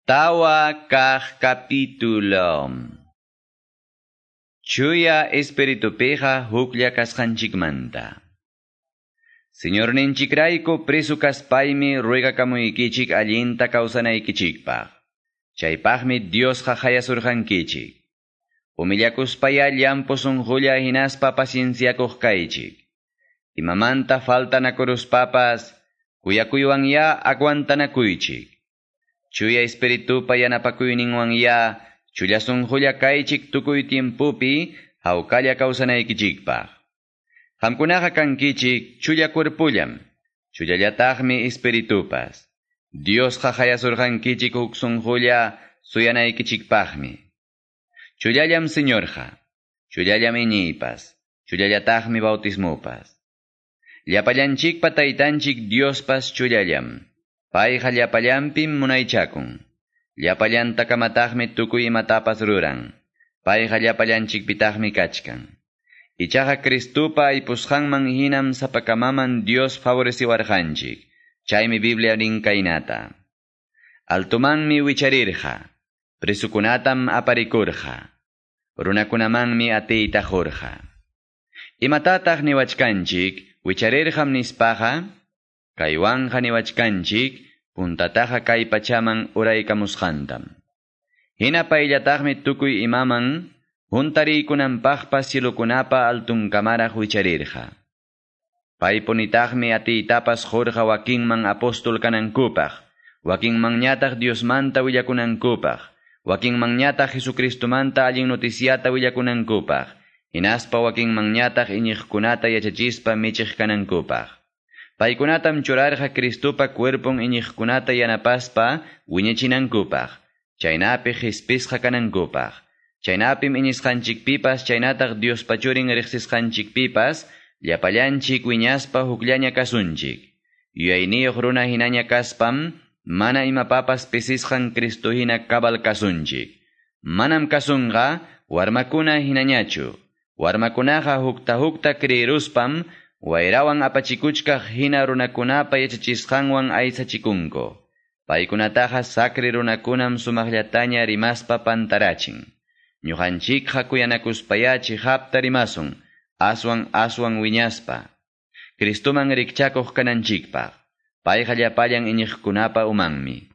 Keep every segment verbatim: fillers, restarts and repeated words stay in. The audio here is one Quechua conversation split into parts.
Tawa kaq capítulo. Chuya espiritupiqa huklla kasqanchikmanta. Señorninchikrayku preso kaspaymi ruegakamuykichik allinta kawsanaykichikpaq. Chaypaqmi Diosqa hayasurqankichik. Humillakuspaya llampu sunqulla hinaspa pacienciakuq kaychik. Imamanta faltanakuruspapas kuyakuywan aguantanakuychik. Chuya espiritupa yanapakuyninwan ya chulla sunqulla kaychik tukuy tiempupi hawkalla kawsanaykichikpaq. Qamkunaqa kankichik chulla cuerpullam, chullallataqmi espiritupas. Diosqa hayasurqankichik huk sunqulla suyanaykichikpaqmi. Chullallam Señorqa, chullallam iñiypas, chullallataqmi bautismupas. Llapallanchikpa taytanchik Diospas chullallam. Payqa llapallanpim munaychakun. Llapallantakamataqmi tukuy imatapas ruran. Payqa llapallanchikpitaqmi kachkan. Ichaqa Cristupa aypusqanman hinam sapakamaman Dios favoreciwarqanchik. Chaymi Biblia nin kaynata. Altumanmi wicharirqa. Presukunatam aparikurqa. Runakunamanmi atiyta qurqa. Imatataq niwachkanchik wicharirqam nispaqa? Kaywanqa niwachkanchik puntataqa kay pachaman uraykamusqantam. Hina payllataqmi tukuy imaman huntariykunanpaqpas cielokunapa altunkamaraq wicharirqa. Paypunitaqmi atiytapas qurqa wakinman apóstol kanankupaq, wakinmanñataq Diosmanta willakunankupaq, wakinmanñataq Jesucristomanta allin noticiata willakunankupaq, hinaspa wakinmanñataq iñiqkunata yachachispa michiq kanankupaq. Paykunatam churarqa Cristupa cuerpon iñiqkunata yanapaspa wiñachinankupaq, chaynapi qhispisqa kanankupaq. Chaynapim iñisqanchikpipas chaynataq Diospa churin riqsisqanchikpipas llapallanchik wiñaspa hukllaña kasunchik. Yuyayniyuq runa hinaña kaspam mana imapapas pisisqan Cristo hina cabal kasunchik. Manam kasunqa warmakuna hinañachu. Warmakunaqa hukta hukta creeruspam wayrawan apachikuchkaq hina runakunapa yachachisqanwan aysachikunku. Paykunataqa sacri runakunam sumaqllataña rimaspa pantarachin. Ñuqanchikqa kuyanakuspaya chiqapta rimasun, aswan aswan wiñaspa. Cristuman rikchakuq kananchikpaq. Payqa llapallan iñiqkunapa umanmi.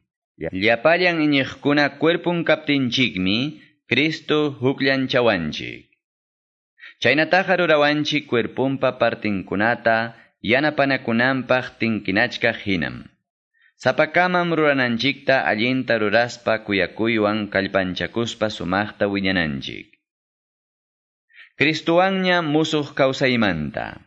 Llapallan iñiqkuna cuerpun kaptinchikmi Cristo hukllanchawanchik. Chaynataqa rurawanchik cuerpunpa partinkunata yanapanakunanpaq tinkinachkaq hinam. Sapakamam rurananchikta allinta ruraspa kuyakuywan kallpanchakuspa sumaqta wiñananchik. Cristuwanña musuq kawsaymanta.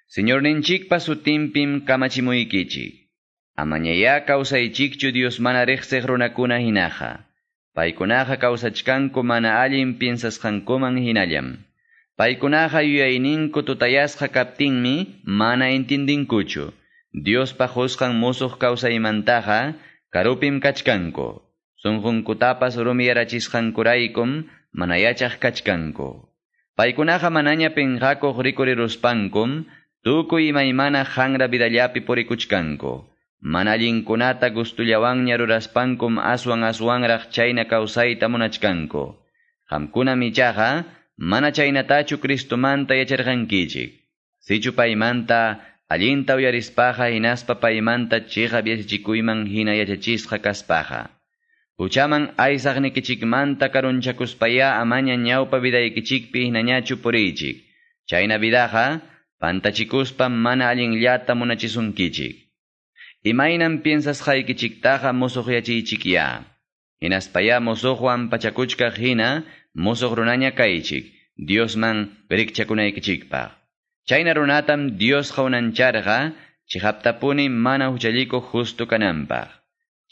Señorninchikpa sutinpim kamachimuykichik. Amañayá kawsaychikchu Dios mana riqsiq runakuna hinaqa. Paykunaqa kawsachkanku mana allin piensasqankuman hinallam. Paykunaqa yuyayninku tutayasqa kaptinmi mana entendinkuchu. Diospa qusqan musuq kawsaymantaqa karupim kachkanku. Sunqunkutapas rumiyarachisqankuraykum mana yachaq kachkanku. Paykunaqa manaña pinqakuq rikuriruspankum tukuy imaymana hanra vidallapi purikuchkanku. Mana allinkunata gustullawanña ruraspankum aswan aswanraq chayna kawsayta munachkanku. Qamkunam ichaqa mana chaynatachu Cristomanta yacharqankichik. Sichu paymanta allinta uyarispaqa hinaspa paymanta chiqap yachachikuyman hina yachachisqa kaspaqa. Huchaman aysaqnikichikmanta karunchakuspaya amaña ñawpa vidaykichikpi hinañachu puriychik. Chayna vidaqa pantachikuspa mana allinllata munachisunkichik. Imaynam piensasqaykichiktaqa musuqyachiychikya. Hinaspaya musuqwan pachakuchkaq hina musuq runaña kaychik, Diosman rikchakunaykichikpaq. Chayna runatam Diosqa unancharqa chiqaptapuni mana huchallikuq justo kananpaq.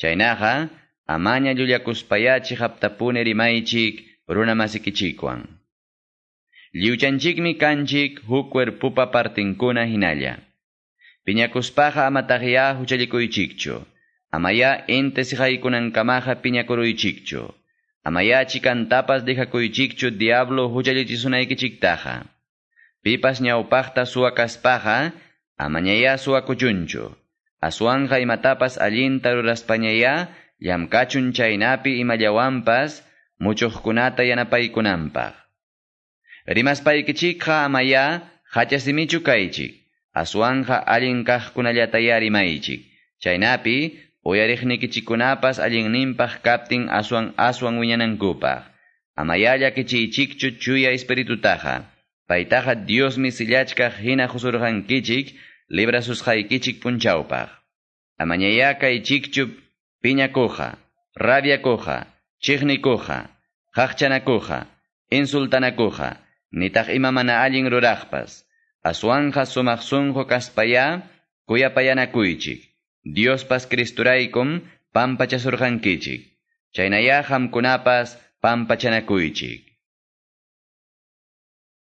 Chaynaqa amaña llullakuspaya chiqaptapuni rimaychik runamasikichikwan. Lliwchanchikmi kanchik huk cuerpupa partinkuna hinalla. Piñakuspaqa amataqya huchallikuychikchu. Amaya inti siqaykunankamaqa piñakuruychikchu. Amaya chikantapas dejakuychikchu diablo huchallichisunaykichiktaqa. Pipas ñawpaqta suwa kaspaqa, amañaya suwakuchunchu. Aswanqa imatapas allinta ruraspañaya Llamkachun chaynapi imallawanpas muchuqkunata yanapaykunanpaq. Rimaspaykichikqa amaya hachasimichu kaychik. Aswanqa allin kaqkunallataya rimaychik. Chaynapi uyariqnikichikkunapas allinninpaq kaptin aswan aswan wiñanankupaq. Amaya llakichiychikchu chuya espiritutaqa. Paytaqa Diosmi sillachkaq hina qusurqankichik librasusqaykichik punchawpaq. Amañaya kaychikchu piñakuqa, rabiakuqa, chiqnikuqa, qaqchanakuqa, insultanakuqa, nitaq ima mana allin ruraqpas. Aswanja sumaq sunqu kaspaya kuyapayanakuychik. Diospas Cristuraykum pampachasurqankichik. Chaynaya qamkunapas pampachanakuychik.